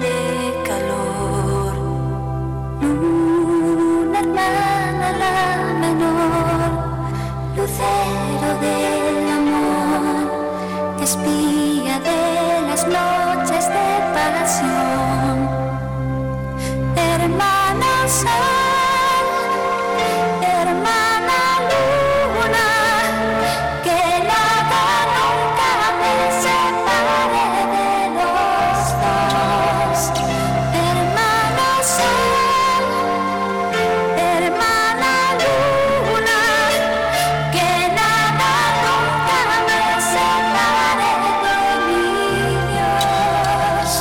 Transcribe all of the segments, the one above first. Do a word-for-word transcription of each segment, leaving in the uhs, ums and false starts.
de calor. Luna hermana la menor, lucero del amor, espía de las noches de pasión. Hermana sol, hermana luna, que nada nunca me separe de los dos. Hermana sol, hermana luna, que nada nunca me separe de mi Dios.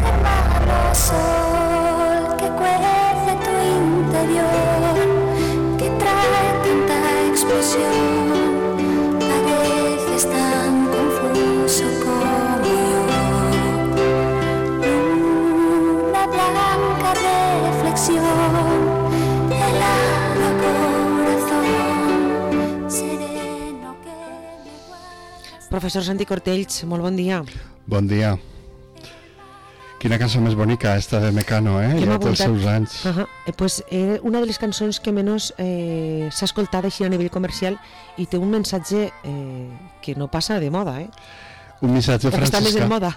Hermano sol, que cuece tu interior, que trae tanta explosión, pareces tan confuso como yo. Una blanca reflexión, helado corazón, sereno que me guardas. Professor Santi Cortells, molt bon dia. Bon dia. Quina cançó més bonica, esta de Mecano, eh? Que m'ha Ja té els apuntat. seus anys. Uh-huh. eh, pues, eh, una de les cançons que menys eh, s'ha escoltat així a nivell comercial i té un mensatge eh, que no passa de moda, eh? Un missatge O que està més franciscà. en moda.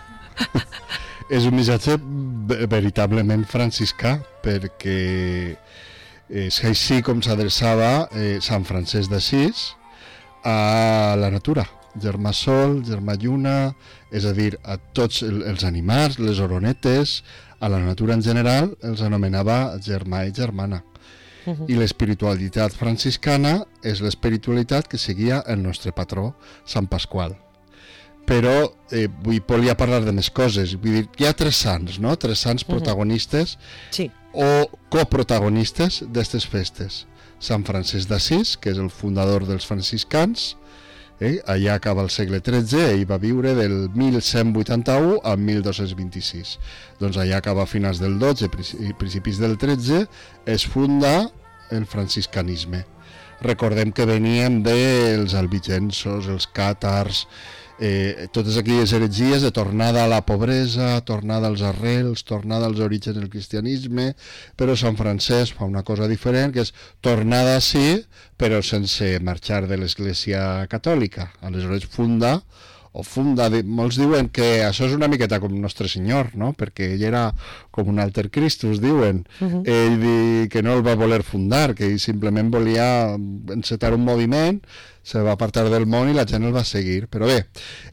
És un missatge ve- veritablement franciscà, perquè és així com s'adreçava eh, Sant Francesc d'Assís a la natura. Germà sol, germà lluna, és a dir, a tots el, els animals, les oronetes, a la natura en general, els anomenava germà i germana. Uh-huh. I l'espiritualitat franciscana és l'espiritualitat que seguia el nostre patró, Sant Pasqual. Però eh, vull volia parlar de més coses. Vull dir, hi ha tres sants, no? Tres sants Uh-huh. protagonistes Sí. o coprotagonistes d'aquestes festes. Sant Francesc d'Assís, que és el fundador dels franciscans, eh? Allà acaba el segle tretze, ell va viure del mil cent vuitanta-u al mil dos-cents vint-i-sis. Doncs allà acaba a finals del dotze i principis del tretze, es funda el franciscanisme. Recordem que veníem dels albigensos, els càtars, eh, totes aquelles heretgies de tornada a la pobresa, tornada als arrels, tornada als orígens del cristianisme, però Sant Francesc fa una cosa diferent, que és tornada sí, però sense marxar de l'Església Catòlica. Aleshores funda, o funda, molts diuen que això és una miqueta com Nostre Senyor, no? Perquè ell era com un alter Christus, diuen. Uh-huh. Ell di que no el va voler fundar, que ell simplement volia encetar un moviment, se va apartar del món i la gent el va seguir. Però bé,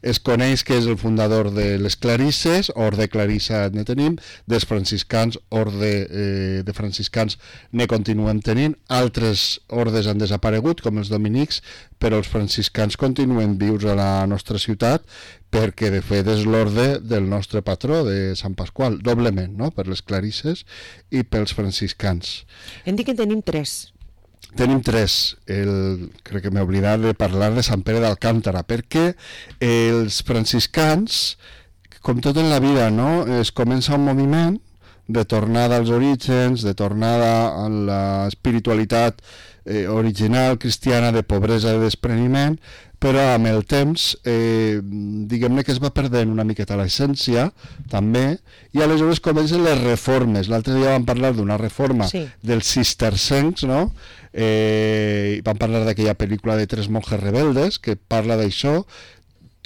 es coneix que és el fundador de les Clarisses, orde Clarissa ne tenim, dels franciscans, orde eh, de franciscans ne continuem tenint, altres ordes han desaparegut, com els dominics, però els franciscans continuen vius a la nostra ciutat, perquè de fet és l'orde del nostre patró, de Sant Pasqual, doblement, no? Per les Clarisses i pels franciscans. Hem dit que en tenim tres. Tenim tres. El, crec que m'he oblidat de parlar de Sant Pere d'Alcántara, perquè els franciscans, com tot en la vida, no? Es comença un moviment de tornada als orígens, de tornada a l'espiritualitat eh, original cristiana de pobresa i despreniment, però amb el temps, eh, diguem-ne que es va perdent una miqueta l'essència, també, i aleshores comencen les reformes. L'altre dia vam parlar d'una reforma Sí. dels cistercencs, no? Eh, vam parlar d'aquella pel·lícula de Tres monjes rebeldes, que parla d'això,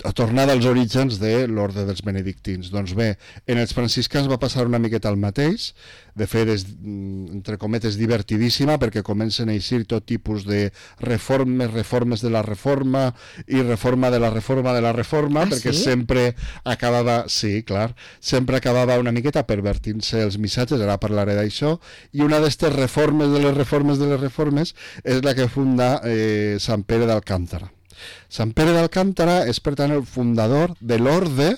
a tornada als orígens de l'orde dels benedictins. Doncs bé, en els franciscans va passar una miqueta el mateix, de fet és, entre cometes, divertidíssima, perquè comencen a eixir tot tipus de reformes, reformes de la reforma i reforma de la reforma de la reforma, Ah, perquè sí? sempre acabava, sí, clar, sempre acabava una miqueta pervertint-se els missatges, ara parlaré d'això, i una d'aquestes reformes de les reformes de les reformes és la que funda eh, Sant Pere d'Alcántara. Sant Pere d'Alcántara és, per tant, el fundador de l'orde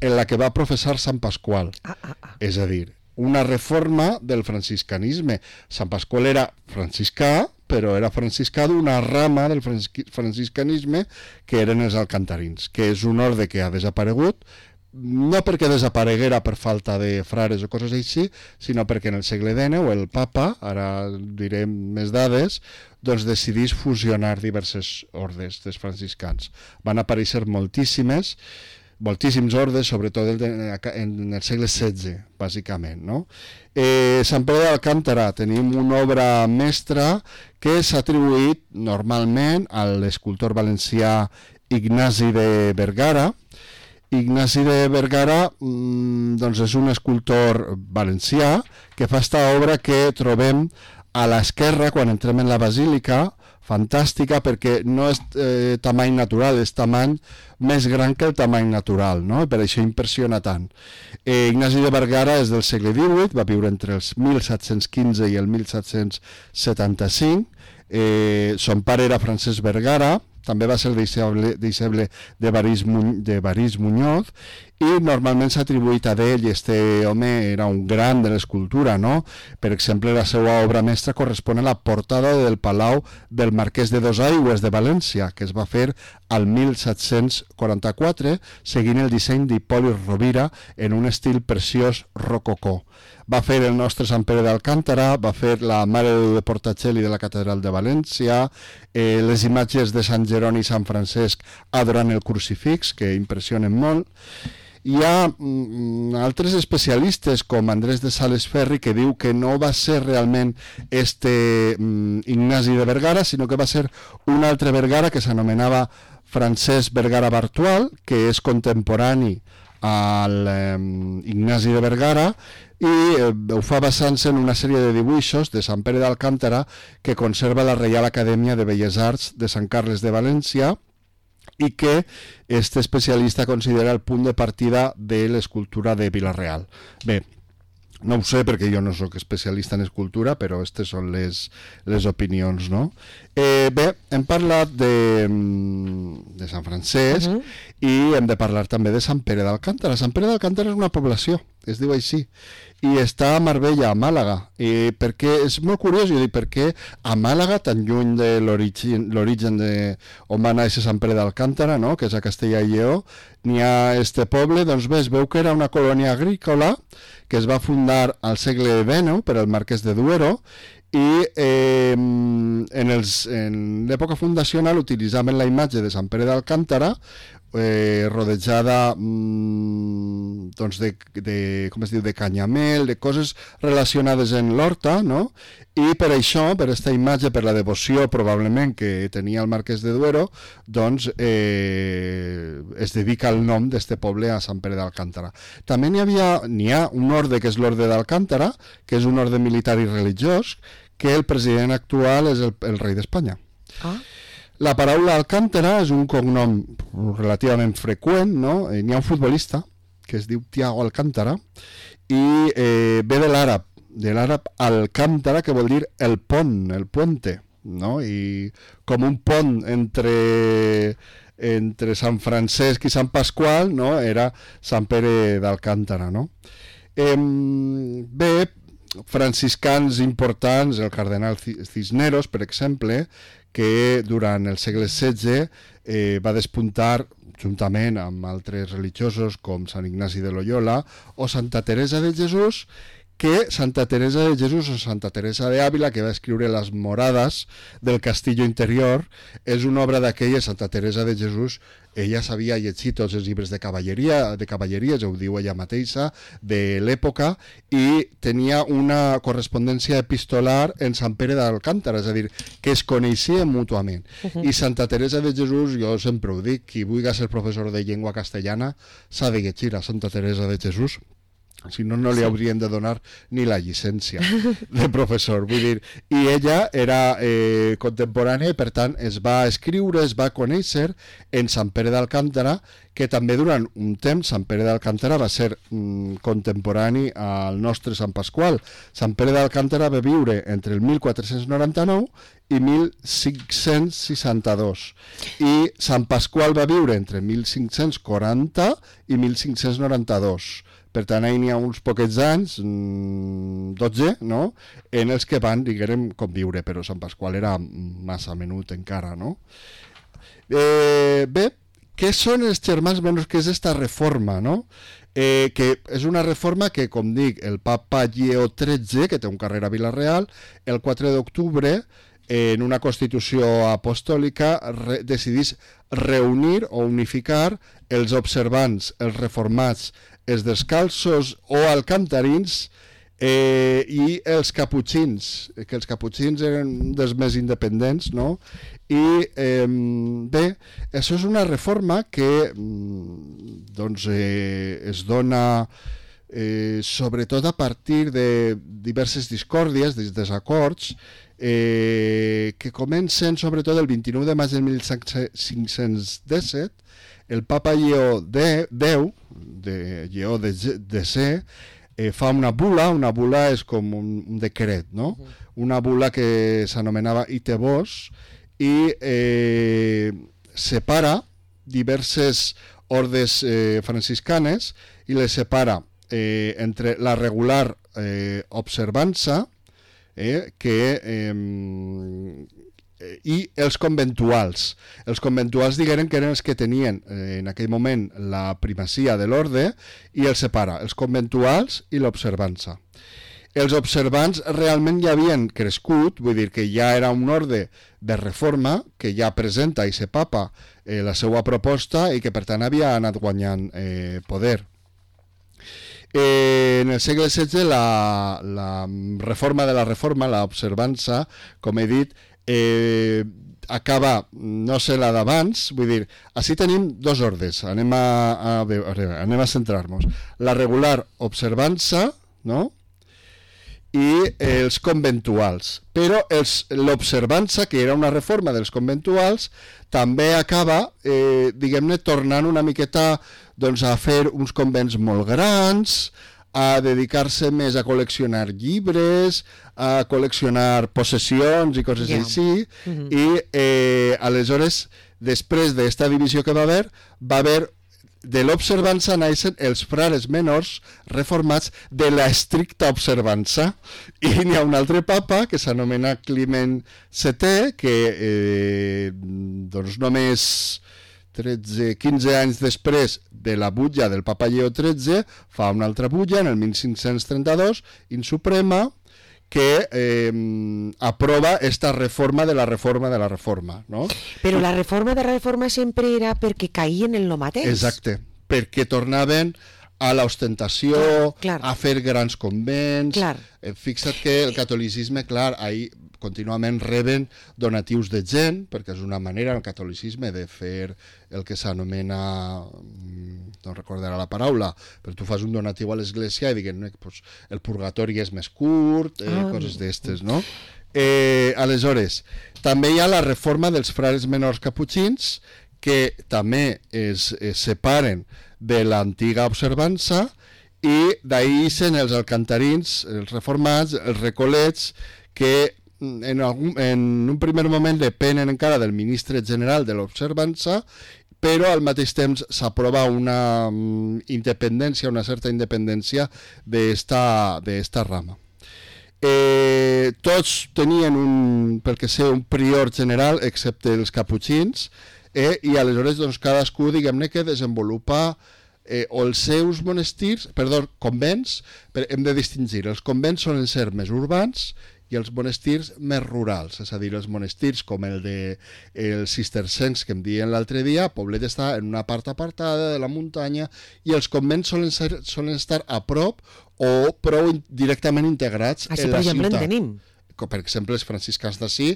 en la que va professar Sant Pasqual. Ah, ah, ah. És a dir, una reforma del franciscanisme. Sant Pasqual era franciscà, però era franciscà d'una rama del franciscanisme que eren els alcantarins, que és un orde que ha desaparegut, no perquè desapareguera per falta de frares o coses així, sinó perquè en el segle dinou el papa, ara direm més dades, doncs decidís fusionar diverses ordes dels franciscans. Van aparèixer moltíssimes, moltíssims ordes, sobretot en el segle setze, bàsicament, no? Eh, Sant Pere d'Alcántara tenim una obra mestra que s'ha atribuït normalment a l'escultor valencià Ignasi de Vergara. Ignasi de Vergara mmm, doncs és un escultor valencià que fa esta obra que trobem a l'esquerra quan entrem en la basílica, fantàstica perquè no és eh, tamany natural, és tamany més gran que el tamany natural, no? Per això impressiona tant. Eh, Ignasi de Vergara és del segle divuit, va viure entre els mil set-cents quinze i el mil set-cents setanta-cinc. Eh, son pare era Francesc Vergara, també va ser deixeble, deixeble de Baris, de Baris Muñoz, i normalment s'ha atribuït a ell, i este home era un gran de l'escultura, no? Per exemple, la seva obra mestra correspon a la portada del Palau del Marquès de Dosaigües de València, que es va fer al mil set-cents quaranta-quatre, seguint el disseny d'Hipòlit Rovira en un estil preciós rococó. Va fer el nostre Sant Pere d'Alcántara, va fer la Mare de Déu de Portacelli de la Catedral de València, eh, les imatges de Sant Jeroni i Sant Francesc adorant el crucifix, que impressionen molt. Hi ha mm, altres especialistes com Andrés de Sales Ferri que diu que no va ser realment este mm, Ignasi de Vergara, sinó que va ser un altre Vergara que s'anomenava Francesc Vergara Bartual, que és contemporani al eh, Ignasi de Vergara, i eh, ho fa basant-se en una sèrie de dibuixos de Sant Pere d'Alcántara que conserva la Reial Acadèmia de Belles Arts de Sant Carles de València, i que este especialista considera el punt de partida de l'escultura de Vila-real. Bé, no ho sé perquè jo no sóc especialista en escultura, però aquestes són les, les opinions, no? Eh, bé, hem parlat de, de Sant Francesc uh-huh. i hem de parlar també de Sant Pere d'Alcántara. Sant Pere d'Alcántara és una població, es diu així, i està a Marbella, a Màlaga, i perquè és molt curiós, jo dic, perquè a Màlaga, tan lluny de l'origen de on va néixer Sant Pere d'Alcántara, no? Que és a Castella i Lleó, n'hi ha este poble, doncs bé, es veu que era una colònia agrícola que es va fundar al segle dinou per el Marquès de Duero, i eh, en, els, en l'època fundacional utilitzaven la imatge de Sant Pere d'Alcántara eh, rodejada mmm, doncs de, de, com es diu, de canyamel, de coses relacionades en l'horta, no? I per això, per aquesta imatge, per la devoció probablement que tenia el Marquès de Duero, doncs eh, es dedica el nom d'este poble a Sant Pere d'Alcántara. També n'hi havia, n'hi ha un orde que és l'orde d'Alcántara, que és un orde militar i religiós, que el president actual és el, el rei d'Espanya. Ah. La paraula Alcántara és un cognom relativament freqüent, no? N'hi ha un futbolista que es diu Thiago Alcántara i eh, ve de l'àrab, de l'àrab Alcántara, que vol dir el pont, el puente, no? I com un pont entre, entre Sant Francesc i Sant Pasqual, no? Era Sant Pere d'Alcántara, no? Eh, bé, franciscans importants, el cardenal Cisneros, per exemple, que durant el segle setze eh, va despuntar juntament amb altres religiosos com Sant Ignasi de Loyola o Santa Teresa de Jesús, que Santa Teresa de Jesús o Santa Teresa de Ávila, que va escriure Les Morades del Castillo Interior, és una obra d'aquella. Santa Teresa de Jesús, ella sabia llegir tots els llibres de cavalleria, de cavalleries, ho diu ella mateixa, de l'època, i tenia una correspondència epistolar en Sant Pere d'Alcántara, és a dir, que es coneixien mútuament. Uh-huh. I Santa Teresa de Jesús, jo sempre ho dic, qui vulgui ser professor de llengua castellana s'ha de llegir a Santa Teresa de Jesús, si no, no li haurien de donar ni la llicència de professor. Vull dir, i ella era eh, contemporània i, per tant, es va escriure, es va conèixer en Sant Pere d'Alcántara, que també durant un temps Sant Pere d'Alcántara va ser mm, contemporani al nostre Sant Pasqual. Sant Pere d'Alcántara va viure entre el mil quatre-cents noranta-nou i mil cinc-cents seixanta-dos, i Sant Pasqual va viure entre mil cinc-cents quaranta i mil cinc-cents noranta-dos. Per tant, ahir n'hi ha uns poquets anys, dotze, no?, en els que van, diguem, conviure, però Sant Pasqual era massa menut encara, no? Eh, bé, què són els germans menors? Què és esta reforma, no? Eh, que és una reforma que, com dic, el papa Lleó tretze, que té un carrer a Vila-real, el quatre d'octubre en una constitució apostòlica re, decidís reunir o unificar els observants, els reformats, els descalços o alcantarins eh, i els caputxins, que els caputxins eren dels més independents, no? I eh, bé, això és una reforma que doncs, eh, es dona eh, sobretot a partir de diverses discòrdies, de desacords, eh, que comencen sobretot el vint-i-nou de maig de mil cinc-cents disset. El papa Lleó X, de Lleó de C, eh, fa una bula, una bula és com un, un decret, no? Uh-huh. Una bula que s'anomenava Ite Vos, i eh, separa diverses ordes eh, franciscanes i les separa eh, entre la regular eh, observança eh, que, eh, i els conventuals. Els conventuals digueren que eren els que tenien eh, en aquell moment la primacia de l'orde, i els separa, els conventuals i l'observança. Els observants realment ja havien crescut, vull dir que ja era un orde de reforma que ja presenta i se papa eh, la seva proposta i que per tant havia anat guanyant eh, poder. Eh, en el segle setze la, la reforma de la reforma, l'observança, com he dit, eh, acaba, no sé la d'abans, vull dir, així tenim dos ordes, anem a, a, a, anem a centrar-nos. La regular observança, no?, i els conventuals, però l'observança, que era una reforma dels conventuals, també acaba, eh, diguem-ne, tornant una miqueta doncs, a fer uns convents molt grans, a dedicar-se més a col·leccionar llibres, a col·leccionar possessions i coses yeah. així, mm-hmm. i eh, aleshores, després d'esta divisió que va haver, va haver de l'observança naixen els frares menors reformats de la estricta observança, i n'hi ha un altre papa que s'anomena Climent setè, que eh, doncs només tretze, quinze anys després de la butlla del papa Lleó tretze fa una altra butlla en el mil cinc-cents trenta-dos in suprema, que eh, aprova esta reforma de la reforma de la reforma, no? Però la reforma de la reforma sempre era perquè caïen en lo mateix. Exacte, perquè tornaven a l'ostentació, clar, clar. a fer grans convents. Clar. Eh, fixa't que el catolicisme, clar, ahí contínuament reben donatius de gent, perquè és una manera, el catolicisme, de fer el que s'anomena, no recordarà la paraula, però tu fas un donatiu a l'església i diguen, no, pues, el purgatori és més curt, eh, ah. coses d'estes, no? Eh, aleshores, també hi ha la reforma dels frares menors caputxins, que també es, es separen de l'antiga observança, i d'ahí ixen els alcantarins, els reformats, els recolets, que en, algun, en un primer moment depenen encara del ministre general de l'observança, però al mateix temps s'aprova una um, independència, una certa independència d'esta d'esta rama. Eh, tots tenien un, pel que sé, un prior general, excepte els caputxins, eh, i aleshores doncs, cadascú, diguem-ne, que desenvolupa eh, o els seus monestirs, perdó, convents, però hem de distingir, els convents solen ser més urbans i els monestirs més rurals, és a dir, els monestirs com el de els cistercencs que em deien l'altre dia, Poblet està en una part apartada de la muntanya, i els convents solen, ser, solen estar a prop o prou directament integrats Així, en la per exemple, ciutat. en tenim. Per exemple, els franciscans d'ací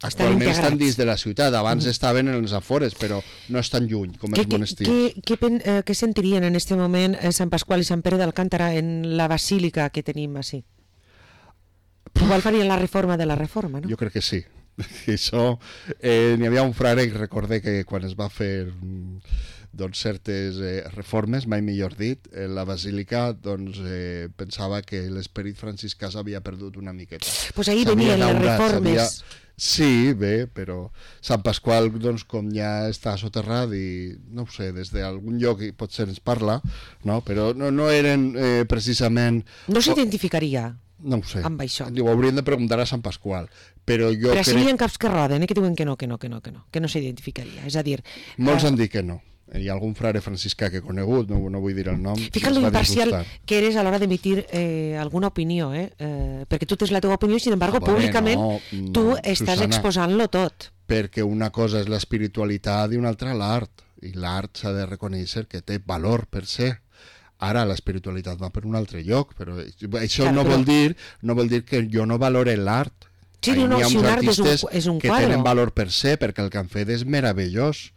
actualment estan, estan dins de la ciutat, abans mm. estaven en els afores, però no estan lluny com els monestirs. Què, què, què, eh, què sentirien en aquest moment eh, Sant Pasqual i Sant Pere d'Alcántara en la basílica que tenim així? Igual farien la reforma de la reforma, no? Jo crec que sí. Això, eh, n'hi havia un frare que recordé que quan es va fer doncs, certes eh, reformes, mai millor dit, eh, la basílica doncs, eh, pensava que l'esperit franciscà s'havia perdut una miqueta. Pues ahir venien les reformes. Sí, bé, però Sant Pasqual, doncs, com ja està soterrat i, no ho sé, des d'algun lloc potser ens parla, no? Però no, no eren eh, precisament... No s'identificaria? No ho sé. Amb això. Ho hauríem de preguntar a Sant Pasqual. Però jo però crec... hi ha caps que roden, eh, que diuen que no, que no, que no, que no, que no s'identificaria. És a dir... Molts eh... han dit que no. hi ha algun frare franciscà que he conegut, no, no vull dir el nom. Fíjate lo imparcial que eres a la hora de emitir eh, alguna opinió, eh? eh? Perquè tu tens la teva opinió i, sin embargo, ah, públicament no, tu estàs Susana, exposant-lo tot. Perquè una cosa és l'espiritualitat i una altra l'art, i l'art s'ha de reconèixer que té valor per ser. Ara l'espiritualitat va per un altre lloc, però això clar, no, però... vol dir, no vol dir que jo no valore l'art. Sí, no, si un art és un, és un que quadre. Tenen valor per ser, perquè el que han fet és meravellós.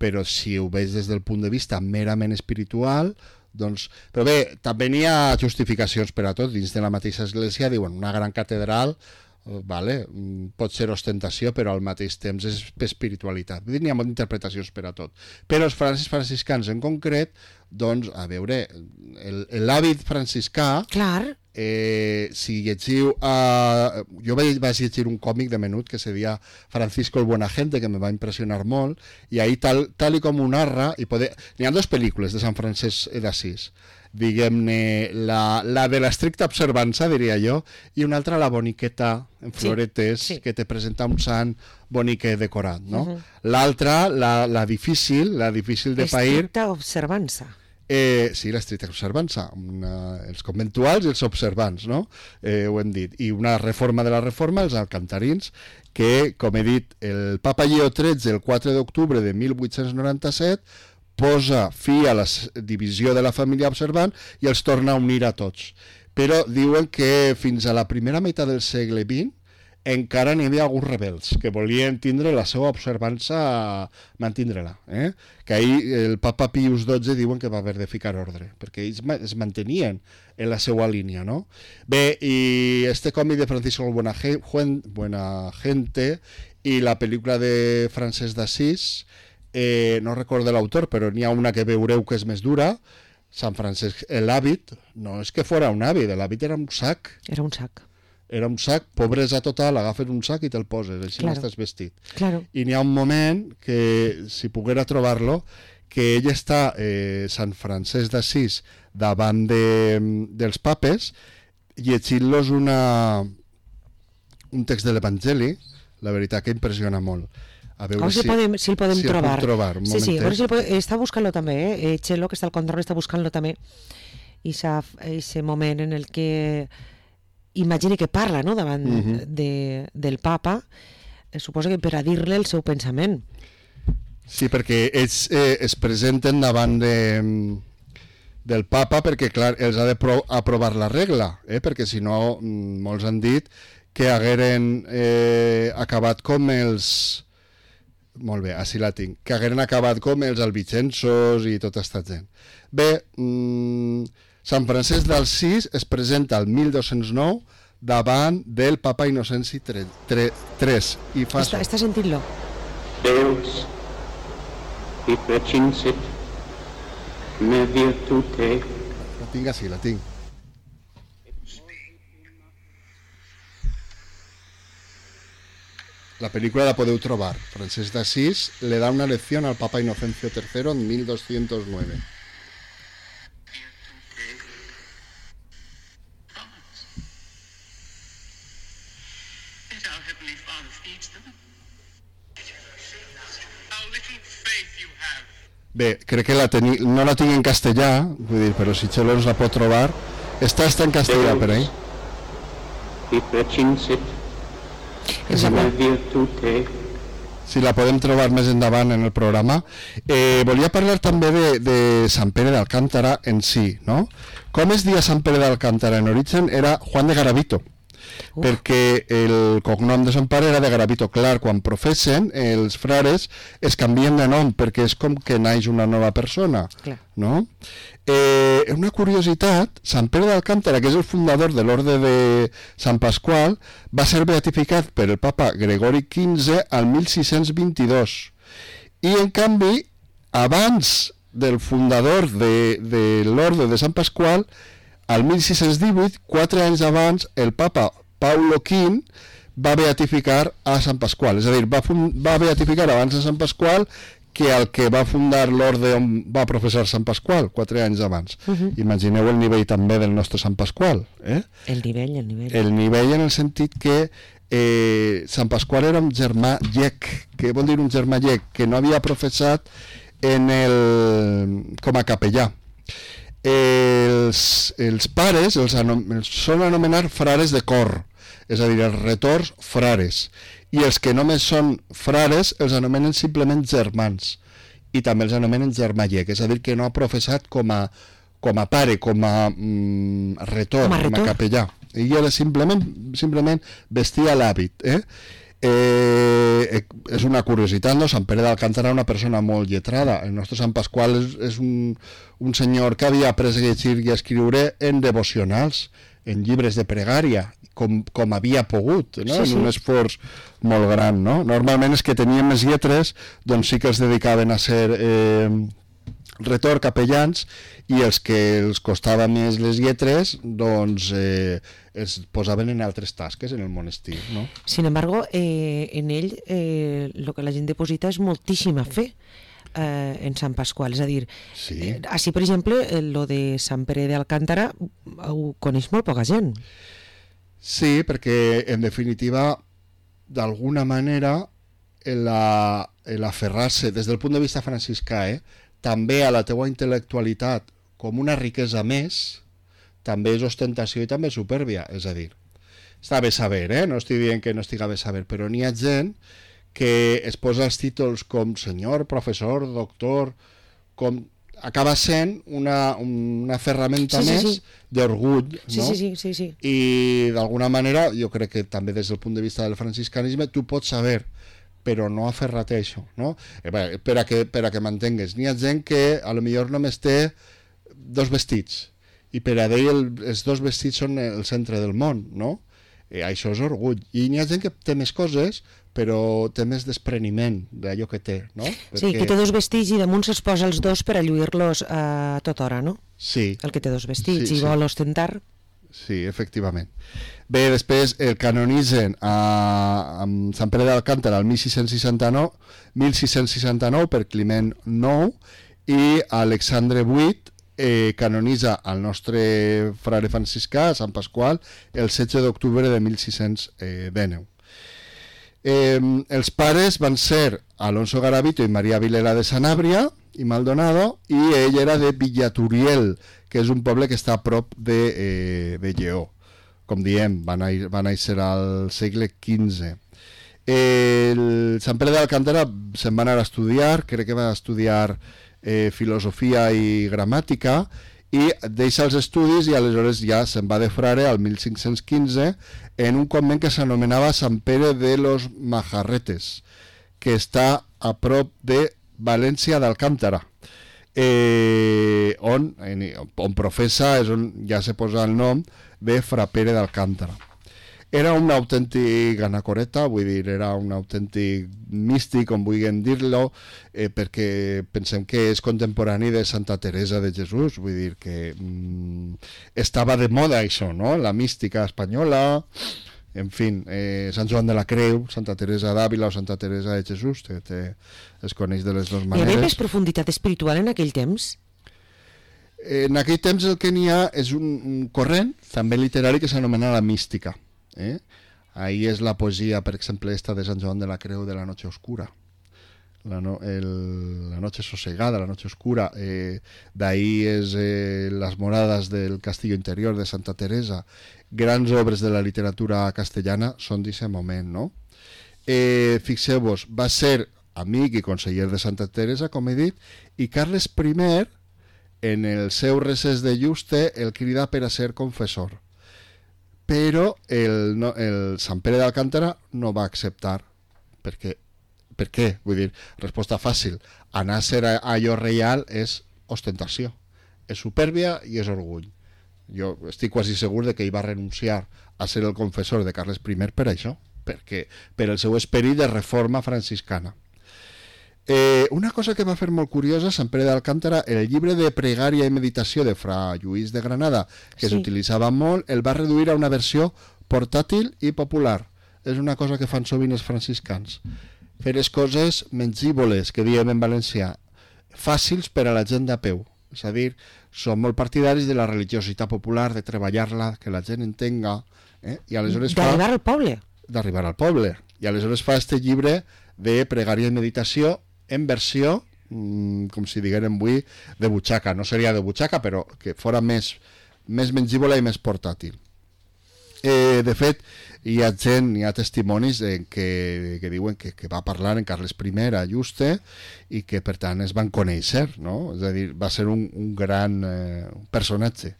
Però si ho veig des del punt de vista merament espiritual, doncs... Però bé, també n'hi ha justificacions per a tot. Dins de la mateixa església diuen una gran catedral, vale, pot ser ostentació, però al mateix temps és espiritualitat. Vull dir, n'hi ha moltes interpretacions per a tot. Però els francis franciscans en concret, doncs, a veure, l'hàbit franciscà... Clar. Eh, si llegiu uh, jo vaig, vaig llegir un còmic de menut que se deia Francisco el Buenagente, que me va impressionar molt, i ahí tal, tal i com ho narra i poder... n'hi ha dues pel·lícules de Sant Francesc d'Assís, diguem-ne la, la de l'estricta observança, diria jo, i una altra la boniqueta en floretes, sí, sí. que te presenta un sant boniquet decorat, no? Uh-huh. L'altra, la, la difícil, la difícil de pair... Estricta observança. Eh, sí, l'estricta observança, una, els conventuals i els observants, no? Eh, ho hem dit. I una reforma de la reforma, els alcantarins, que, com he dit, el papa Lleó tretze, el quatre d'octubre de mil vuit-cents noranta-set, posa fi a la divisió de la família observant i els torna a unir a tots. Però diuen que fins a la primera meitat del segle vint encara n'hi havia alguns rebels que volien tindre la seva observança, mantindre-la. Eh? Que ahir el papa Pius dotze diuen que va haver de ficar ordre, perquè ells es mantenien en la seva línia, no? Bé, i este còmic de Francisco el Buenagente i la pel·lícula de Francesc d'Assís, eh, no recordo l'autor, però n'hi ha una que veureu que és més dura, Sant Francesc, l'hàbit, no és que fora un hàbit, l'hàbit era un sac. Era un sac. Era un sac, pobresa total, agafes un sac i te'l poses, així claro. Estàs vestit. Claro. I n'hi ha un moment que, si poguera trobar-lo, que ell està, eh, Sant Francesc d'Assís, davant de, dels papes, llegint-los una, un text de l'Evangeli, la veritat que impressiona molt. A veure si, si, podem, si el podem si trobar. El trobar un sí, sí, a veure si el podem, està buscant-lo també, eh? Txelo, que està al control, està buscant-lo també. I aquest moment en el que... imagini que parla, no?, davant uh-huh. de, del papa, eh, suposa que per a dir-li el seu pensament. Sí, perquè ells eh, es presenten davant de, del papa perquè, clar, els ha d'aprovar la regla, eh? Perquè si no, molts han dit que hagueren eh, acabat com els... Molt bé, així la tinc. Que hagueren acabat com els albicensos i tota aquesta gent. Bé, mmm, Sant Francesc d'Assís es presenta el mil dos-cents nou davant del papa Innocenci tres i fa està, està sentint-lo. Deus i precinsit me virtute. La tinc així, la tinc. La pel·lícula la podeu trobar. Francesc d'Assís le da una lección al papa Inocencio tercero en mil doscientos nueve. Bé, crec que la teni... no la tinc en castellà, vull dir, però si Txelo ens la pot trobar, està, està en castellà per ahí. Si la podem trobar més endavant en el programa. Eh, volia parlar també de, de Sant Pere d'Alcántara en si, no? Com es dia Sant Pere d'Alcántara? En origen era Juan de Garavito. Uf. Perquè el cognom de son pare era de Garavito. Clar, quan professen, els frares es canvien de nom perquè és com que naix una nova persona. Clar. No? Eh, una curiositat, Sant Pere d'Alcántara, que és el fundador de l'Orde de Sant Pasqual, va ser beatificat per el papa Gregori quinze al mil sis-cents vint-i-dos. I, en canvi, abans del fundador de, de l'Orde de Sant Pasqual, al mil sis-cents divuit, quatre anys abans, el papa Paulo quinze va beatificar a Sant Pasqual. És a dir, va, va beatificar abans de Sant Pasqual que el que va fundar l'orde on va professar Sant Pasqual, quatre anys abans. Uh-huh. Imagineu el nivell també del nostre Sant Pasqual. Eh? El nivell, el nivell. El nivell en el sentit que eh, Sant Pasqual era un germà llec. Què vol dir un germà llec? Que no havia professat en el, com a capellà. Els, els pares els, anom, els són anomenar frares de cor, és a dir, els retors frares, i els que només són frares els anomenen simplement germans, i també els anomenen germallec, és a dir, que no ha professat com a, com a pare, com a mm, retor, com a, retor. com a capellà. Ell era simplement, simplement vestia l'hàbit, eh? Eh, és una curiositat, no? Sant Pere d'Alcántara era una persona molt lletrada. El nostre Sant Pasqual és, és un, un senyor que havia après a llegir i a escriure en devocionals, en llibres de pregària, com, com havia pogut, no? Sí, sí. En un esforç molt gran, no? Normalment els que tenien més lletres doncs sí que els dedicaven a ser eh, retor, capellans, i els que els costava més les lletres doncs eh, es posaven en altres tasques en el monestir, ¿no? Sin embargo, eh, en ell eh, lo que la gent deposita és moltíssima fe eh, en Sant Pasqual, és a dir, sí. eh, així per exemple eh, lo de Sant Pere d'Alcántara ho coneix molt poca gent. Sí, perquè en definitiva d'alguna manera l'aferrar-se des del punt de vista franciscà eh, també a la teua intel·lectualitat com una riquesa més, també és ostentació i també és supèrbia, és a dir, està bé saber, eh? No estic dient que no estiga bé saber, però n'hi ha gent que es posa els títols com senyor, professor, doctor, com acaba sent una, una ferramenta sí, sí, més sí. d'orgull, no? Sí, sí, sí, sí, sí. I d'alguna manera, jo crec que també des del punt de vista del franciscanisme, tu pots saber, però no aferrar-te a això, no? Eh, per a que, per a que m'entengues. N'hi ha gent que a lo millor només té dos vestits, i per a ell el, els dos vestits són el centre del món, no? Eh, això és orgull. I n'hi ha gent que té més coses, però té més despreniment d'allò que té, no? Perquè... Sí, que té dos vestits i damunt se'ls posa els dos per a lluir-los a tota hora, no? Sí. El que té dos vestits sí, i sí. vol ostentar. Sí, efectivament. Bé, després el canonitzen a, a Sant Pere d'Alcántara el mil sis-cents seixanta-nou, mil sis-cents seixanta-nou per Climent nou, i Alexandre vuit eh, canonitza el nostre frare franciscà, Sant Pasqual, el setze d'octubre de mil sis-cents dinou. Eh, els pares van ser Alonso Garavito i Maria Vilela de Sanabria i Maldonado, i ell era de Villaturiel, que és un poble que està a prop de, eh, de Lleó. Com diem, va néixer al segle quinze. El Sant Pere d'Alcántara se'n va anar a estudiar, crec que va estudiar eh, filosofia i gramàtica, i deixa els estudis i aleshores ja se'n va de frare al mil cinc-cents quinze en un convent que s'anomenava Sant Pere de los Majarretes, que està a prop de València d'Alcántara, eh, on, en, on professa, és on ja se posa el nom de Fra Pere d'Alcántara. Era un autèntic anacoreta, vull dir, era un autèntic místic, com vulguem dir-lo, eh, perquè pensem que és contemporani de Santa Teresa de Jesús, vull dir que mm, estava de moda això, no? La mística espanyola, en fi, eh, Sant Joan de la Creu, Santa Teresa d'Àvila o Santa Teresa de Jesús, te, te, es coneix de les dues maneres. Hi havia més profunditat espiritual en aquell temps? En aquell temps el que n'hi ha és un, un corrent, també literari, que s'anomena la mística. Eh? Ahí és la poesia, per exemple, esta de Sant Joan de la Creu de la Noche Oscura, la, no, el, la Noche Sosegada, la Noche Oscura, eh, d'ahí és eh, Las Moradas del Castillo Interior de Santa Teresa. Grans obres de la literatura castellana són d'aquest moment, no? Eh, fixeu-vos, va ser amic i conseller de Santa Teresa, com he dit, i Carles primer, en el seu recés de Juste, el crida per a ser confessor. Però el, no, el Sant Pere d'Alcántara no va acceptar. Per què? Per què? Vull dir, resposta fàcil. Anar a ser allò reial és ostentació, és supèrbia i és orgull. Jo estic quasi segur de que ell va renunciar a ser el confessor de Carles primer per això, perquè, per el seu esperit de reforma franciscana. Eh, una cosa que va fer molt curiosa Sant Pere d'Alcántara, el llibre de pregària i meditació de Fra Lluís de Granada, que sí. s'utilitzava molt, el va reduir a una versió portàtil i popular. És una cosa que fan sovint els franciscans. Fer les coses mengívoles, que diem en valencià, fàcils per a la gent de peu. És a dir, són molt partidaris de la religiositat popular, de treballar-la, que la gent entenga. Eh? I aleshores fa... D'arribar al poble. D'arribar al poble. I aleshores fa este llibre de pregària i meditació en versió mm, com si diguérem avui, de butxaca. No seria de butxaca, però que fora més, més mengívola i més portàtil. Eh, de fet, hi ha gent, hi ha testimonis eh, que, que diuen que, que va parlar en Carles I a Juste i que per tant es van conèixer, no? És a dir, va ser un, un gran eh, personatge.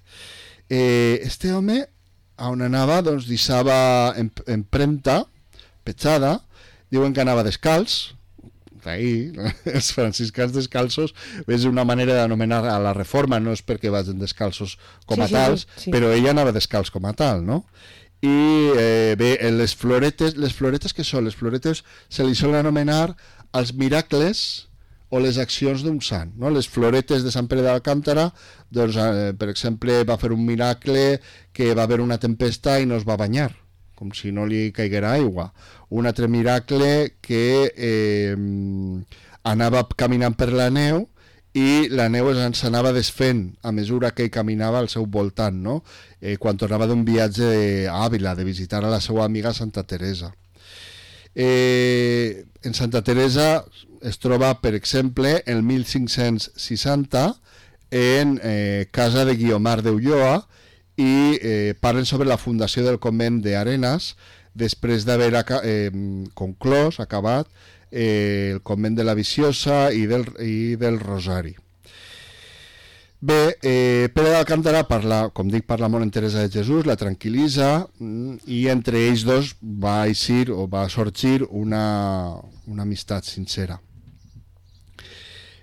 Eh, este home, on anava, doncs deixava empremta, petjada, diuen que anava descalç, ahir, els franciscans descalços és una manera d'anomenar a la reforma, no és perquè vagin descalços com a sí, tals, sí, sí. però ella anava descalç com a tal, no? I eh, bé, les floretes, les floretes que són? Les floretes se li solen anomenar els miracles o les accions d'un sant, no? Les floretes de Sant Pere d'Alcántara, doncs, eh, per exemple, va fer un miracle que va haver una tempesta i no es va banyar, com si no li caiguera aigua. Un altre miracle que eh, anava caminant per la neu i la neu s'anava desfent a mesura que ell caminava al seu voltant, no? Eh, quan tornava d'un viatge a Àvila, de visitar a la seva amiga Santa Teresa. Eh, en Santa Teresa es troba, per exemple, el mil cinc-cents seixanta en eh, casa de Guiomar d'Ulloa i eh, parlen sobre la fundació del convent d'Arenas després d'haver eh, conclòs, acabat, eh, el convent de la Viciosa i del, i del Rosari. Bé, eh, Pere d'Alcántara parla, com dic, parla molt en Teresa de Jesús, la tranquil·litza i entre ells dos va eixir o va sorgir una, una amistat sincera.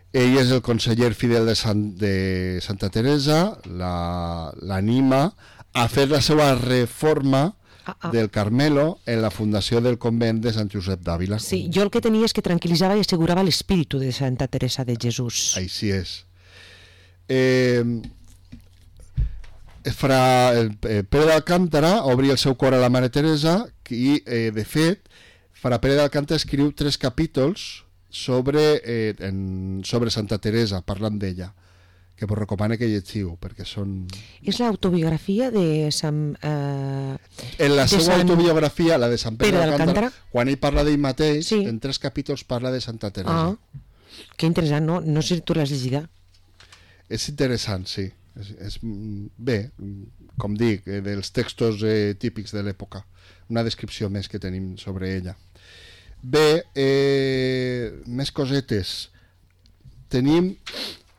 Ell és el conseller fidel de, Sant, de Santa Teresa, l'anima la, a fer la seva reforma ah, ah. del Carmelo en la fundació del convent de Sant Josep d'Àvila. Sí, jo el que tenia és que tranquil·litzava i assegurava l'espíritu de Santa Teresa de Jesús. Així és. Eh, farà el, el Pere d'Alcántara obri el seu cor a la Mare Teresa i, eh, de fet, farà Pere d'Alcántara escriu tres capítols sobre, eh, en, sobre Santa Teresa, parlant d'ella, que vos recomano que llegiu, perquè són... És l'autobiografia de Sant... Eh, en la seva Sant... autobiografia, la de Sant Pere, Pere d'Alcántara, quan ell parla d'ell mateix, sí. En tres capítols parla de Santa Teresa. Ah, que interessant, no? No sé si tu l'has llegida. És interessant, sí. És, és, bé, com dic, eh, dels textos eh, típics de l'època. Una descripció més que tenim sobre ella. Bé, eh, més cosetes. Tenim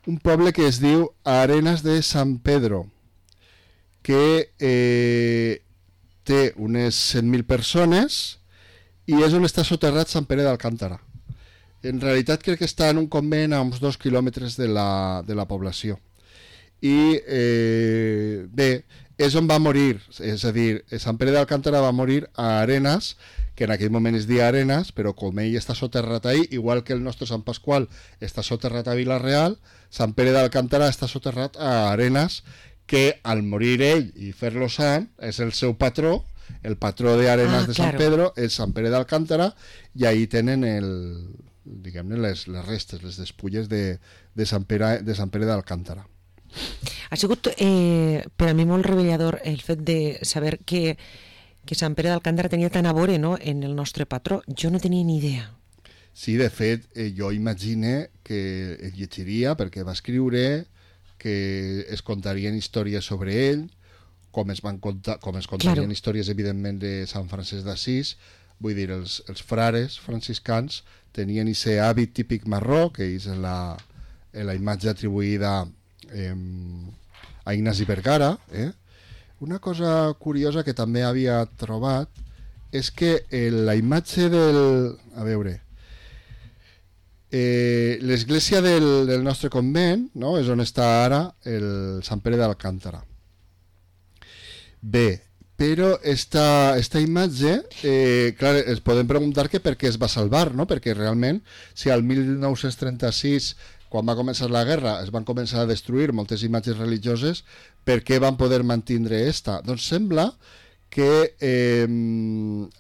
un poble que es diu Arenas de San Pedro, que eh, té unes cent mil persones i és on està soterrat Sant Pere d'Alcántara. En realitat crec que està en un convent a uns dos quilòmetres de la, de la població. I eh, bé, és on va morir, és a dir, Sant Pere d'Alcántara va morir a Arenas, que en aquell moment es deia Arenas, però com ell està soterrat ahí, igual que el nostre Sant Pasqual està soterrat a Vila-real, Sant Pere d'Alcántara està soterrat a Arenas, que al morir ell i fer-lo sant, és el seu patró, el patró d'Arenas ah, de Sant claro. Pedro, és Sant Pere d'Alcántara, i ahí tenen el, diguem-ne, les, les restes, les despulles de, de Sant Pere, de Sant Pere d'Alcántara. Ha sigut eh, per a mi molt revelador el fet de saber que, que Sant Pere d'Alcántara tenia tant a veure, no?, en el nostre patró. Jo no tenia ni idea. Sí, de fet, eh, jo imagine que el llegiria perquè va escriure, que es contarien històries sobre ell, com es, van contar, com es contarien claro. Històries, evidentment, de Sant Francesc d'Assís. Vull dir, els, els frares franciscans tenien aquest hàbit típic marró, que és la, la imatge atribuïda eh, a Ignasi Vergara. Eh? Una cosa curiosa que també havia trobat és que eh, la imatge del... A veure... Eh, l'església del, del nostre convent, no?, és on està ara el Sant Pere d'Alcántara. Bé, però esta, esta imatge, eh, clar, es podem preguntar que per què es va salvar, no?, perquè realment, si al mil nou-cents trenta-sis, quan va començar la guerra, es van començar a destruir moltes imatges religioses, per què van poder mantindre esta? Doncs sembla que eh,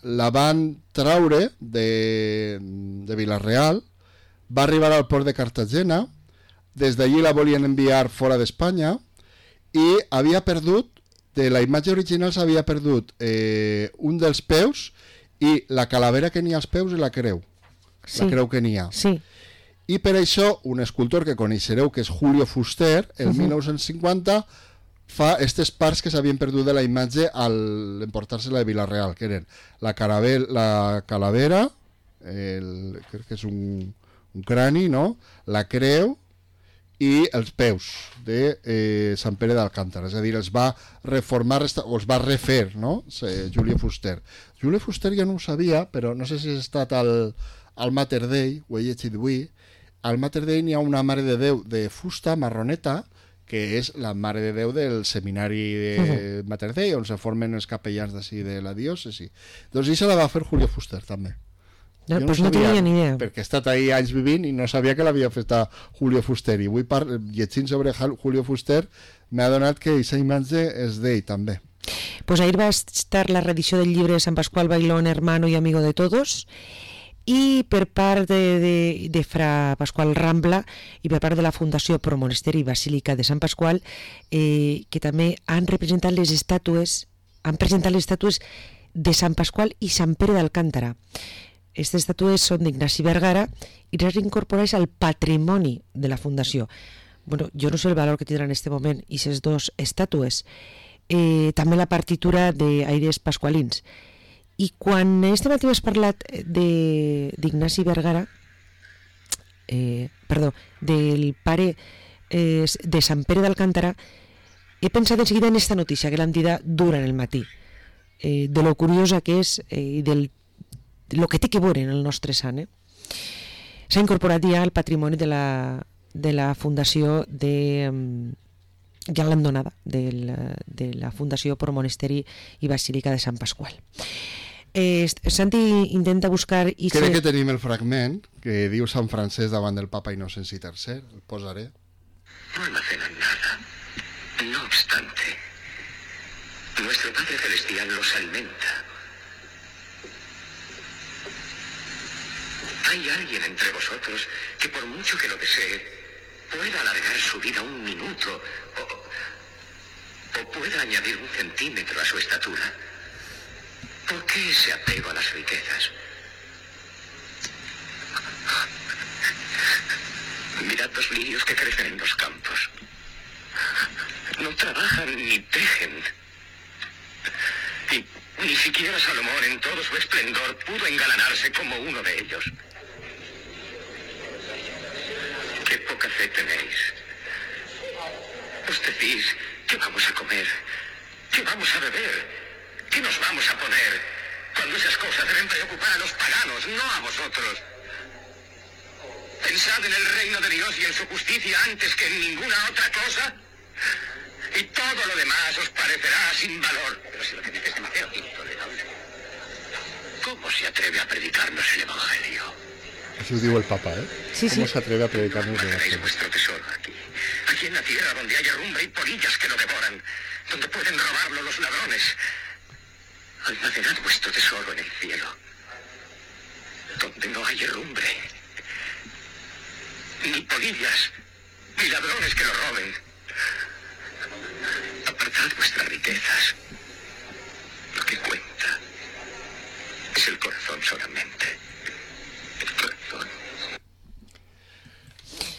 la van traure de, de Vila-real, va arribar al port de Cartagena, des d'allí la volien enviar fora d'Espanya i havia perdut, de la imatge original s'havia perdut eh, un dels peus i la calavera que n'hi ha als peus i la creu, sí. La creu que n'hi ha. Sí. I per això un escultor que coneixereu, que és Julio Fuster, el uh-huh. mil nou-cents cinquanta fa aquestes parts que s'havien perdut de la imatge al emportar-se-la de Vila-real, que eren la, caravel, la calavera, el, crec que és un, un crani, no? La creu i els peus de eh, Sant Pere d'Alcántara, és a dir, els va reformar o els va refer, no? Julio Fuster. Julio Fuster ja no ho sabia, però no sé si has estat al, al Mater Dei, ho he llegit avui. Al Mater Dei n'hi ha una Mare de Déu de fusta marroneta, que és la Mare de Déu del seminari de uh-huh. Mater Dei, on se formen els capellans d'ací de la diòcesi. Doncs això la va fer Julio Fuster, també. No, no, pues no tenia ni idea. Perquè he estat ahí anys vivint i no sabia que l'havia fet a Julio Fuster. I avui, par... llegint sobre Julio Fuster, m'ha donat que aquesta imatge és d'ell, també. Pues ahir va estar la reedició del llibre de Sant Pasqual Bailón, hermano y amigo de todos, i per part de, de, de Fra Pasqual Rambla i per part de la Fundació Pro Monesteri Basílica de Sant Pasqual, eh, que també han representat les estàtues, han presentat les estàtues de Sant Pasqual i Sant Pere d'Alcántara. Aquestes estàtues són d'Ignasi Vergara i les incorporats al patrimoni de la Fundació. Bueno, jo no sé el valor que tindran en aquest moment aquestes dues estàtues. Eh, també la partitura d'Aires Pasqualins. I quan este matí has parlat d'Ignasi Vergara, eh, perdó, del pare eh, de Sant Pere d'Alcántara, he pensat en seguida en esta notícia que l'han dit durant el matí, eh, de lo curiosa que és i eh, del el que té que veure en el nostre sant. Eh? S'ha incorporat ja al patrimoni de la, de la Fundació de... ja l'han donada, de la, de la Fundació Pro Monesteri i Basílica de Sant Pasqual. Eh, Santi intenta buscar... I Crec que tenim el fragment que diu Sant Francesc davant del Papa Inocenci tercer, el posaré. No almacenan nada. No obstante, nuestro Padre Celestial los alimenta. Hay alguien entre vosotros que por mucho que lo desee, pueda alargar su vida un minuto o, o pueda añadir un centímetro a su estatura. ¿Por qué ese apego a las riquezas? Mirad los lirios que crecen en los campos. No trabajan ni tejen. Y ni siquiera Salomón en todo su esplendor pudo engalanarse como uno de ellos. ¡Qué poca fe tenéis! Os decís, ¿qué vamos a comer? ¿Qué vamos a beber? ¿Qué nos vamos a poner? Cuando esas cosas deben preocupar a los paganos, no a vosotros. Pensad en el reino de Dios y en su justicia antes que en ninguna otra cosa, y todo lo demás os parecerá sin valor. Pero si lo que dices es demasiado intolerable. ¿Cómo se atreve a predicarnos el Evangelio? Eso diu el Papa, ¿eh? Sí, ¿Cómo sí. se atreve a predicarnos el Guardaréis Evangelio? vuestro tesoro aquí, aquí en la tierra donde hay herrumbre y polillas que lo devoran, donde pueden robarlo los ladrones. Almacenad vuestro tesoro en el cielo, donde no hay herrumbre, ni polillas, ni ladrones que lo roben. Apartad vuestras riquezas. Lo que cuenta es el corazón solamente. El corazón.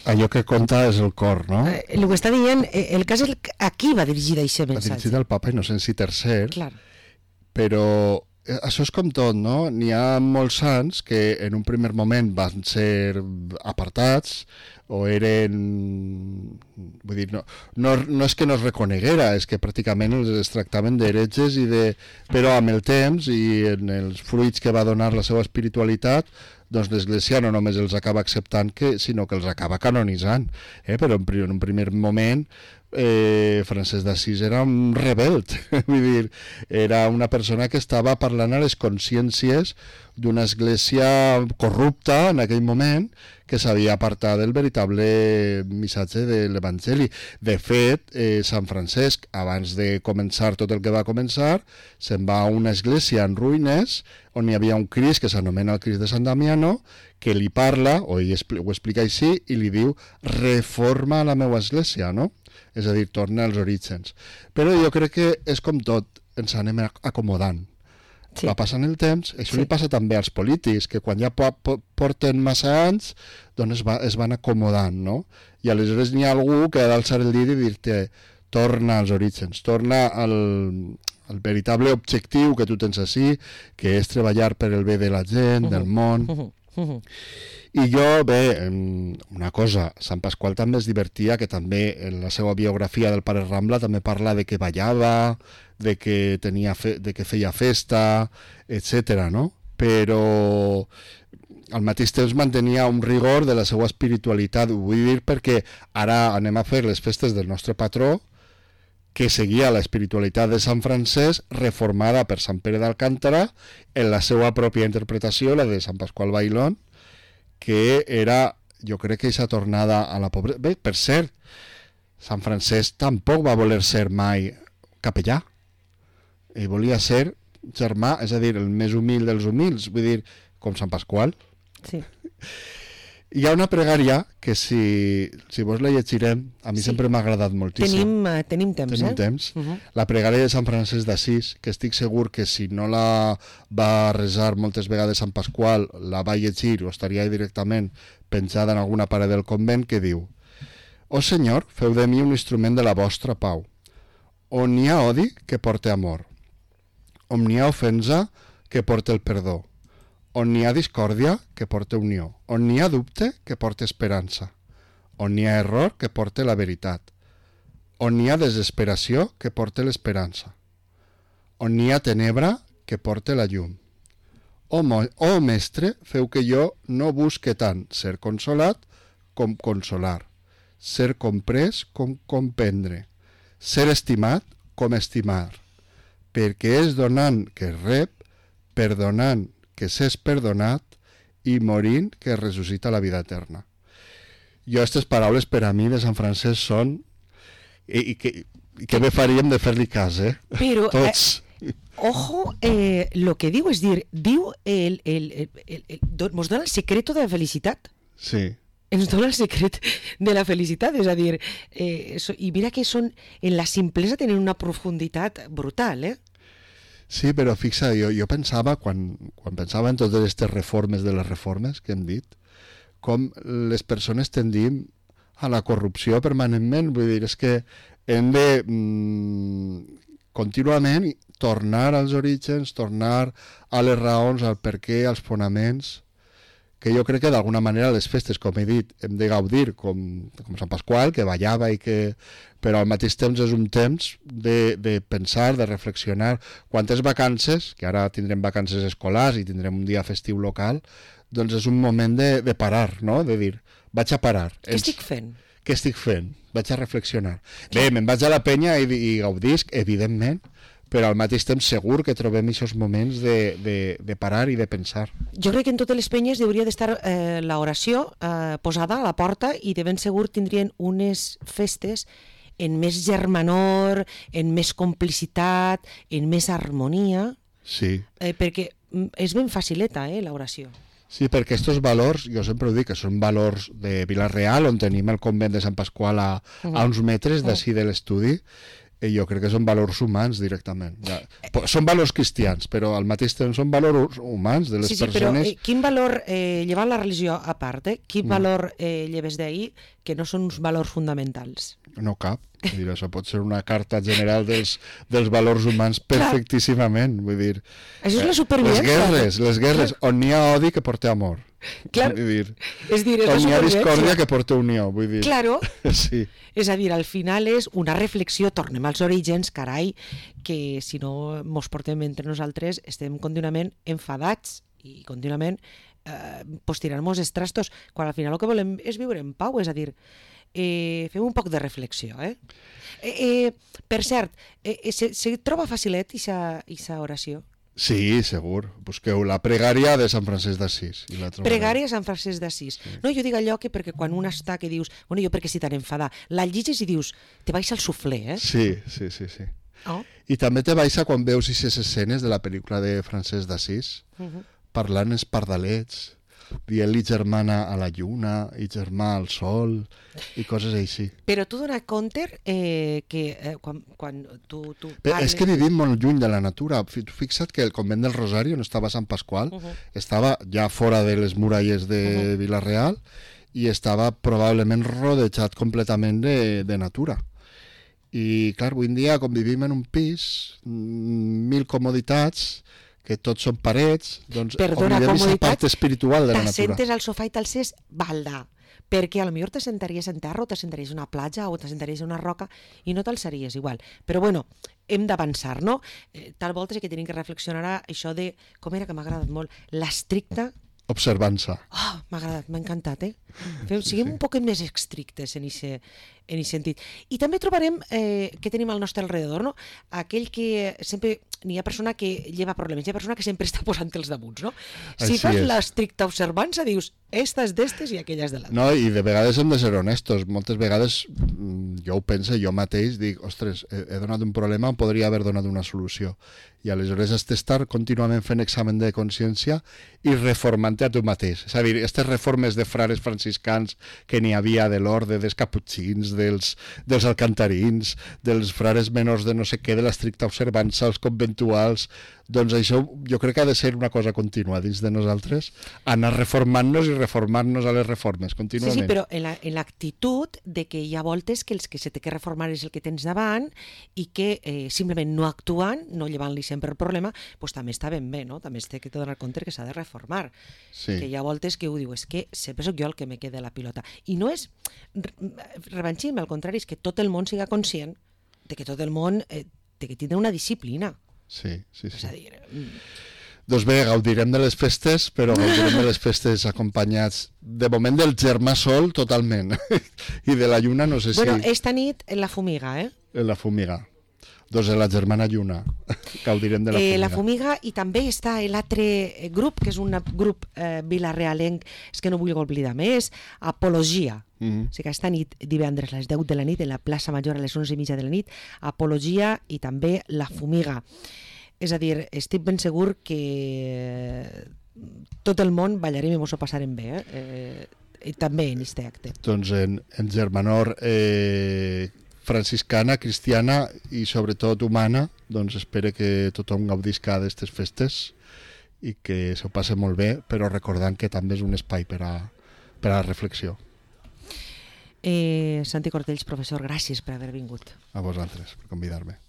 Allò que compta és el cor, no? Eh, el que està dient, eh, el cas és a qui va dirigir aquest Va missatge. dirigit al Papa Inocenci tercer, Clar. però eh, això és com tot, no? N'hi ha molts sants que en un primer moment van ser apartats o eren... Vull dir, no, no, no és que no es reconeguera, és que pràcticament els, els tractaven d'heretges i de... Però amb el temps i en els fruits que va donar la seva espiritualitat, doncs l'Església no només els acaba acceptant, que, sinó que els acaba canonitzant. Eh? Però en, en un primer moment eh, Francesc d'Assís era un rebelt, vull dir, era una persona que estava parlant a les consciències d'una església corrupta en aquell moment, que s'havia apartat del veritable missatge de l'Evangeli. De fet, eh, Sant Francesc, abans de començar tot el que va començar, se'n va a una església en ruïnes, on hi havia un Crist que s'anomena el Crist de Sant Damiano, que li parla, o ell ho explica així, i li diu, reforma la meva església, no? És a dir, torna als orígens. Però jo crec que és com tot, ens anem acomodant. Sí. va passant el temps, això Sí. li passa també als polítics, que quan ja po po porten massa anys, doncs es, va, es van acomodant, no? I aleshores n'hi ha algú que ha d'alçar el dit i dir-te torna als orígens, torna al, al veritable objectiu que tu tens així, que és treballar per el bé de la gent, del món. Uh -huh. Uh -huh. I jo, bé, una cosa, Sant Pasqual també es divertia, que també en la seva biografia del pare Rambla també parla de que ballava, de que, tenia fe, de que feia festa, etcètera, no? Però al mateix temps mantenia un rigor de la seva espiritualitat, ho vull dir perquè ara anem a fer les festes del nostre patró, que seguia la espiritualitat de Sant Francesc reformada per Sant Pere d'Alcántara en la seva pròpia interpretació, la de Sant Pasqual Bailón, que era, jo crec que aquesta tornada a la pobresa... Bé, per cert, Sant Francesc tampoc va voler ser mai capellà. Ell volia ser germà, és a dir, el més humil dels humils, vull dir, com Sant Pasqual. Sí. Hi ha una pregària que si, si vos la llegirem, a mi Sí. sempre m'ha agradat moltíssim. Tenim, uh, tenim temps, Tenim eh? temps. Uh -huh. La pregària de Sant Francesc d'Assís, que estic segur que si no la va resar moltes vegades Sant Pasqual, la va llegir o estaria directament penjada en alguna paret del convent, que diu: «Oh Senyor, feu de mi un instrument de la vostra pau. On hi ha odi, que porte amor. On hi ha ofensa, que porte el perdó. On hi ha discòrdia, que porte unió. On hi ha dubte, que porte esperança. On hi ha error, que porte la veritat. On hi ha desesperació, que porte l'esperança. On hi ha tenebra, que porte la llum. Oh, mo oh mestre, feu que jo no busque tant ser consolat com consolar, ser comprès com comprendre, ser estimat com estimar, perquè és donant que es rep, perdonant que s'és perdonat i morint que ressuscita la vida eterna». Jo, aquestes paraules per a mi de Sant Francesc són... I, i, que, i que bé faríem de fer-li cas, eh? Però, Tots. Eh, ojo, eh, lo que diu és dir, diu, el, el, el, el, el, do, mos dona el secreto de la felicitat. Sí. Ens dona el secret de la felicitat, és a dir, eh, so, i mira que són, en la simplesa tenen una profunditat brutal, eh? Sí, però fixa, jo, jo pensava, quan, quan pensava en totes aquestes reformes de les reformes que hem dit, com les persones tendim a la corrupció permanentment. Vull dir, és que hem de mm, contínuament tornar als orígens, tornar a les raons, al per què, als fonaments, que jo crec que d'alguna manera les festes, com he dit, hem de gaudir com, com Sant Pasqual, que ballava i que... però al mateix temps és un temps de, de pensar, de reflexionar. Quantes vacances, que ara tindrem vacances escolars i tindrem un dia festiu local, doncs és un moment de, de parar, no? De dir, vaig a parar. Què estic fent? Què estic fent? Vaig a reflexionar. Bé, me'n vaig a la penya i, i gaudisc, evidentment, però al mateix temps segur que trobem aquests moments de, de, de parar i de pensar. Jo crec que en totes les penyes hauria d'estar eh, l'oració eh, posada a la porta i de ben segur tindrien unes festes en més germanor, en més complicitat, en més harmonia, Sí. eh, perquè és ben facileta, eh, l'oració. Sí, perquè aquests valors, jo sempre ho dic, que són valors de Vila-real, on tenim el convent de Sant Pasqual a, a uns metres d'ací de l'estudi, i jo crec que són valors humans directament. Ja, són valors cristians, però al mateix temps són valors humans de les sí, sí, persones. però eh, quin valor, eh, llevant la religió a part, eh, quin mm. valor eh, lleves d'ahir que no són uns valors fonamentals? No cap. Vull dir, això pot ser una carta general dels, dels valors humans perfectíssimament. Vull dir, això és la les supervivència. guerres, les guerres, on hi ha odi que porta amor. Clar. Vull dir, És dir, és la on hi ha supervivència. discòrdia que porta unió. Vull dir. Claro. Sí. És a dir, al final és una reflexió, tornem als orígens, carai, que si no mos portem entre nosaltres estem contínuament enfadats i contínuament eh, pues, tirant-nos els trastos, quan al final el que volem és viure en pau, és a dir, eh, fem un poc de reflexió. Eh? Eh, eh, per cert, eh, se, se troba facilet aquesta oració? Sí, segur. Busqueu la pregària de Sant Francesc d'Assís. i la trobareu. Pregària Sant Francesc d'Assís. Sí. No, jo dic allò que perquè quan un està que dius, bueno, jo perquè si tan enfadar, la lliges i dius, te baixa el suflé, eh? Sí, sí, sí, sí. Oh. I també te baixa quan veus aquestes escenes de la pel·lícula de Francesc d'Assís, Uh -huh. parlant els pardalets, dient-li germana a la lluna i germà al sol i coses així. Però tu dona compte eh, que eh, quan, quan tu, tu Bé, parles... és que vivim molt lluny de la natura. Fi- Fixa't que el convent del Rosari, on estava Sant Pasqual, Uh -huh. estava ja fora de les muralles de Uh -huh. Vila-real i estava probablement rodejat completament de, de natura. I, clar, avui en dia, com vivim en un pis, mm, mil comoditats, que tots són parets, doncs Perdona, oblidem aquesta comoditats, part espiritual de la natura. T'assentes al sofà i t'alces balda, perquè a lo millor t'assentaries en terra o t'assentaries en una platja o t'assentaries en una roca i no t'alçaries igual. Però bueno, hem d'avançar, no? Eh, tal volta sí que tenim que reflexionar a això de, com era que m'ha agradat molt, l'estricta... Observança. Oh, m'ha agradat, m'ha encantat, eh? Fem, siguem sí. un poc més estrictes en aquest en sentit. I també trobarem eh, que tenim al nostre alrededor, no? Aquell que sempre... N'hi ha persona que lleva problemes, hi ha persona que sempre està posant-te'ls damunt, no? Si Així fas és. l'estricta observança, dius, esta és d'estes i aquella és de l'altra. No, i de vegades hem de ser honestos. Moltes vegades mm, jo ho penso, jo mateix dic, ostres, he, he donat un problema, em podria haver donat una solució. I aleshores has d'estar contínuament fent examen de consciència i reformant-te a tu mateix. És a dir, aquestes reformes de frares franciscans que n'hi havia de l'orde dels caputxins, dels, dels alcantarins, dels frares menors de no sé què, de l'estricta observança, els conventuals, doncs això jo crec que ha de ser una cosa contínua dins de nosaltres, anar reformant-nos i reformar-nos a les reformes, contínuament. Sí, sí, però en la- en l'actitud de que hi ha voltes que els que se té que reformar és el que tens davant i que eh, simplement no actuant, no llevant-li sempre el problema, doncs també està ben bé, no? També es té que donar compte que s'ha de reformar. Sí. Que hi ha voltes que ho diu, és que sempre sóc jo el que me queda la pilota. I no és re- revanchisme, al contrari, és que tot el món siga conscient de que tot el món eh, té que tindre una disciplina. Sí, sí, És a sí. dir, mm, Doncs bé, gaudirem de les festes, però gaudirem de les festes acompanyats, de moment, del germà sol totalment, i de la lluna no sé si... bueno, esta nit en la fumiga, eh? En la fumiga. Doncs en la germana lluna gaudirem de la fumiga. Eh, la fumiga, i també està l'altre grup, que és un grup eh, vilarealenc, és que no vull oblidar més, Apologia. Mhm. O sigui que esta nit, divendres a les deu de la nit, en la plaça Major a les onze i mitja de la nit, Apologia i també la fumiga. És a dir, estic ben segur que tot el món ballarem i mos ho passarem bé, eh? eh i també en este acte. Doncs en, en germanor eh, franciscana, cristiana i sobretot humana, doncs espero que tothom gaudisca d'aquestes festes i que s'ho passe molt bé, però recordant que també és un espai per a, per a la reflexió. Eh, Santi Cortells, professor, gràcies per haver vingut. A vosaltres, per convidar-me.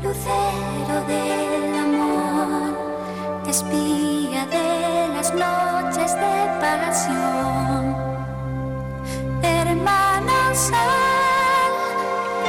Lucero del amor, espía de las noches de pasión.